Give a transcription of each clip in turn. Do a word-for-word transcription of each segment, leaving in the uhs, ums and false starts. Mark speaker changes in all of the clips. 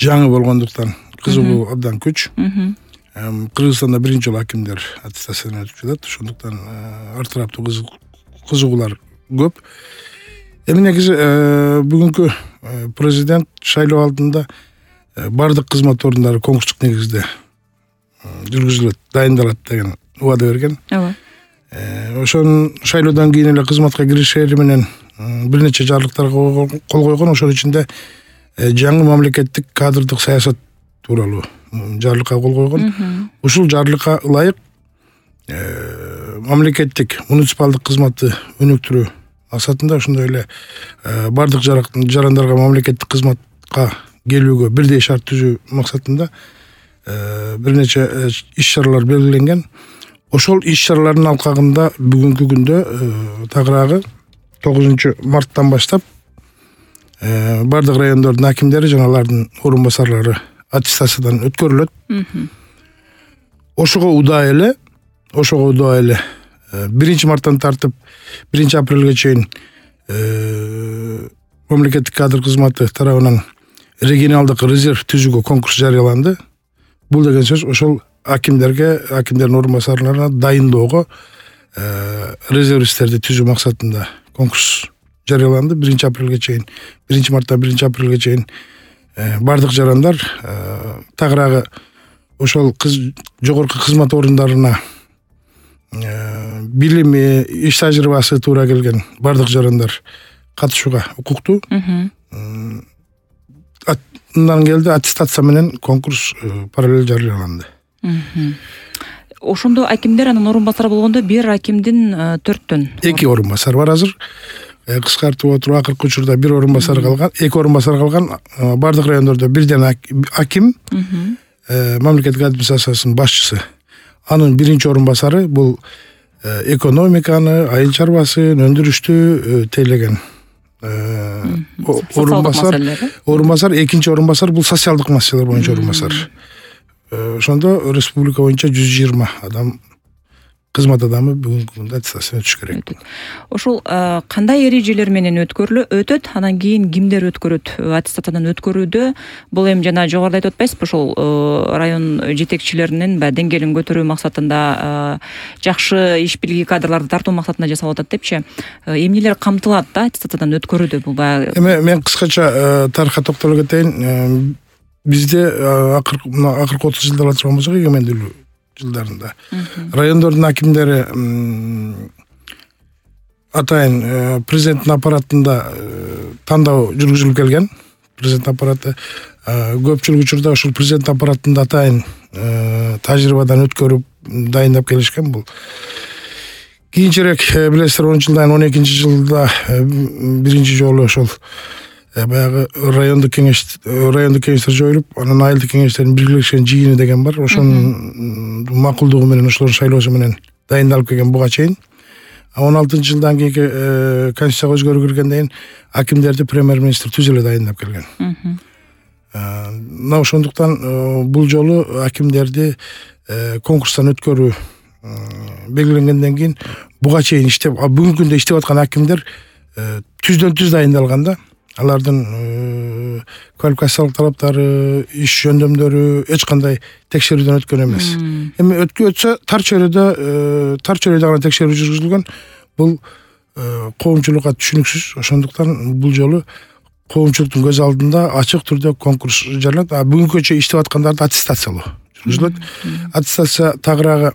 Speaker 1: жаңы болгондуктан кызыгуу абдан күч. Кыргызстанда биринчи жолу акимдер аттестациядан өтүп жатат. Ошондуктан ар тараптуу кызыгуулар көп. Эми негизи бүгүнкү президент шайлоо алдында бардык кызмат орундары конкурстук негизде жүргүзүлөт, дайындалат деген убада берген.
Speaker 2: Ооба.
Speaker 1: Ошон шайлоодон кийин эле кызматка киришери менен бир нече жарлыктарга кол койгон. Ошонун ичинде жаңы мамлекеттик кадрдык саясат тууралуу жарлыкка кол койгон. Ушул жарлыкка ылайык мамлекеттик муниципалдык кызматты өнүктүрүү максатында ошондой эле бардык жарандарга мамлекеттик кызматка келүүгө бирдей шарт түзүү максатында бир нече иш-чаралар белгиленген. Ошол иш-чаралардын алкагында бүгүнкү күндө тагыраагы тогузунчу марттан баштап бардык райондордун акимдери жана алардын орун басарлары аттестациядан өткөрүлөт. Ошого удаа эле, ошого удаа эле биринчи марттан тартып биринчи апрелге чейин мамлекеттик кадр кызматы тарабынан регионалдык резерв түзүүгө конкурс жарыяланды. Бул деген сөз ошол акимдерге, акимдердин орун басарларына дайындоого резервисттерди түзүү максатында конкурс жарыяланды. биринчи апрелге чейин, биринчи марттан биринчи апрелге чейин бардык жарандар тагыраагы ошол жогорку кызмат орундарына билими, иш тажрыйбасы туура келген бардык жарандар катышууга укуктуу. Мындан келди аттестация менен конкурс параллель жарыяланды.
Speaker 2: Ошондо акимдер анан орун басар болгондо бир акимдин төрттөн
Speaker 1: эки орун басар бар азыр. Кыскартып отуруп акыркы учурда бир орун басар калган, эки орун басар калган. Бардык райондордо бирден аким, мамлекеттик администрациянын башчысы. Анын биринчи орун басары бул экономиканы, айыл чарбасын, өндүрүштү тейлеген орун басар. Орун басар, экинчи орун басар бул социалдык маселелер боюнча орун басар. Ошондо республика боюнча жүз жыйырма адам кызмат адамы бүгүнкү күндө аттестациядан өтүш керек.
Speaker 2: Ошол кандай эрежелер менен өткөрүлө өтөт, анан кийин кимдер өткөрөт? Аттестациядан өткөрүүдө бул эми жана жогоруда айтып атпайсызбы, ошол район жетекчилеринин баягы деңгээлин көтөрүү максатында, жакшы иш билги кадрларды тартуу максатында жасалып атат депчи. Эмнелер камтылат да аттестациядан өткөрүүдө бул баягы?
Speaker 1: Эми мен кыскача тарыхка токтоло кетейин. Бизде акыркы отуз жылдар турган болсок, эгемендүүлүк жылдарында райондордун акимдери атайын президенттин аппаратында тандоо жүргүзүлүп келген. Президент аппараты көпчүлүк учурда ошол президент аппаратында атайын тажрыйбадан өткөрүп дайындап келишкен. Бул кийинчерээк билесиздер, онунчу жылдан он экинчи жылда биринчи жолу ошол баягы райондук кеңеш райондук кеңештер жоюлуп, анан айылдык кеңештердин биргелешкен жыйыны деген бар. Ошонун макулдугу менен, ошолордун шайлоосу менен дайындалып келген буга чейин. он алтынчы жылдан кийинки конституцияга өзгөрүү киргенден кийин акимдерди премьер-министр түз эле дайындап келген. Мына ошондуктан бул жолу акимдерди конкурстан өткөрүү белгиленгенден кийин буга чейин иштеп, бүгүнкү күндө иштеп аткан акимдер түздөн түз дайындалганда, алардын квалификациялык талаптары, иш жөндөмдөрү эч кандай текшерүүдөн өткөн эмес. Эми өткөтсө тар чөйрөдө тар чөйрөдө гана текшерүү жүргүзүлгөн. Бул коомчулукка түшүнүксүз. Ошондуктан бул жолу коомчулуктун көз алдында ачык түрдө конкурс жарыяланат. Бүгүнкү чейин иштеп аткандарды аттестациялоо жүргүзүлөт. Аттестация тагыраагы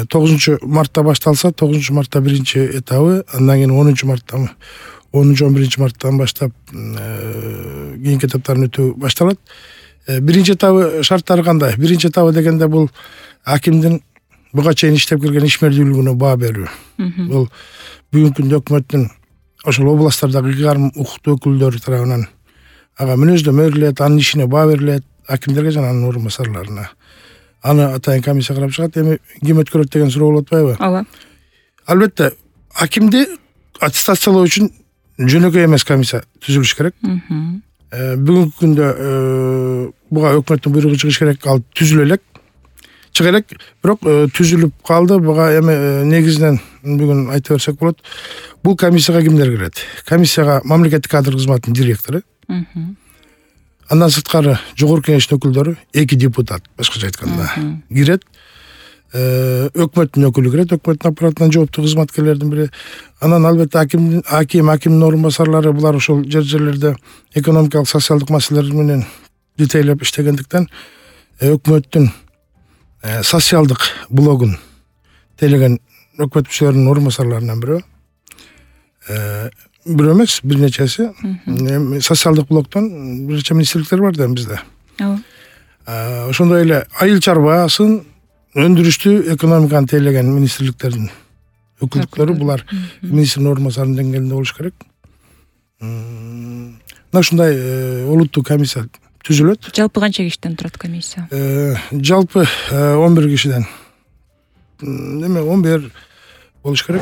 Speaker 1: тогузунчу мартта башталса, тогузунчу мартта биринчи этабы, андан кийин онунчу марттан онунчу он биринчи марттан баштап кийинки этаптарын өтүү башталат. Биринчи этабы шарттары кандай? Биринчи этабы дегенде бул акимдин буга чейин иштеп келген ишмердүүлүгүнө баа берүү. Бул бүгүнкү күндө өкмөттүн ошол областтардагы эки жарым укуктуу өкүлдөрү тарабынан ага мүнөздөмө берилет, анын ишине баа берилет, акимдерге жана анын орун басарларына. Аны атайын комиссия карап чыгат. Эми ким өткөрөт деген суроо болуп атпайбы?
Speaker 2: Ооба.
Speaker 1: Албетте, акимди аттестациялоо үчүн жөнөкөй эмес комиссия түзүлүш керек. Бүгүнкү күндө буга өкмөттүн буйругу чыгыш керек, ал түзүлө элек. Чыга элек, бирок түзүлүп калды. Буга эми негизинен бүгүн айта берсек болот. Бул комиссияга кимдер кирет? Комиссияга мамлекеттик кадр кызматынын директору, Андан сырткары жогорку кеңештин өкүлдөрү эки депутат, башкача айтканда кирет. Өкмөттүн өкүлү кирет, өкмөттүн аппаратынан жооптуу кызматкерлердин бири. Анан албетте аким, аким, акимдин орун басарлары, булар ошол жер жерлерде экономикалык, социалдык маселелер менен детейлеп иштегендиктен өкмөттүн социалдык блогун тейлеген өкмөт мүчөлөрүнүн орун басарларынан бирөө. Бирөө эмес, бир нечеси. Социалдык блоктон бир нече министрликтер бар да бизде. Ошондой эле айыл чарбасын, өндүрүштү, экономиканы тейлеген министрликтердин өкүлдүктөрү, булар министрдин орун басарынын деңгээлинде болуш керек. Мына ушундай олуттуу комиссия түзүлөт.
Speaker 2: Жалпы канча кишиден турат комиссия?
Speaker 1: Жалпы он бир кишиден. Эме он бир болуш керек.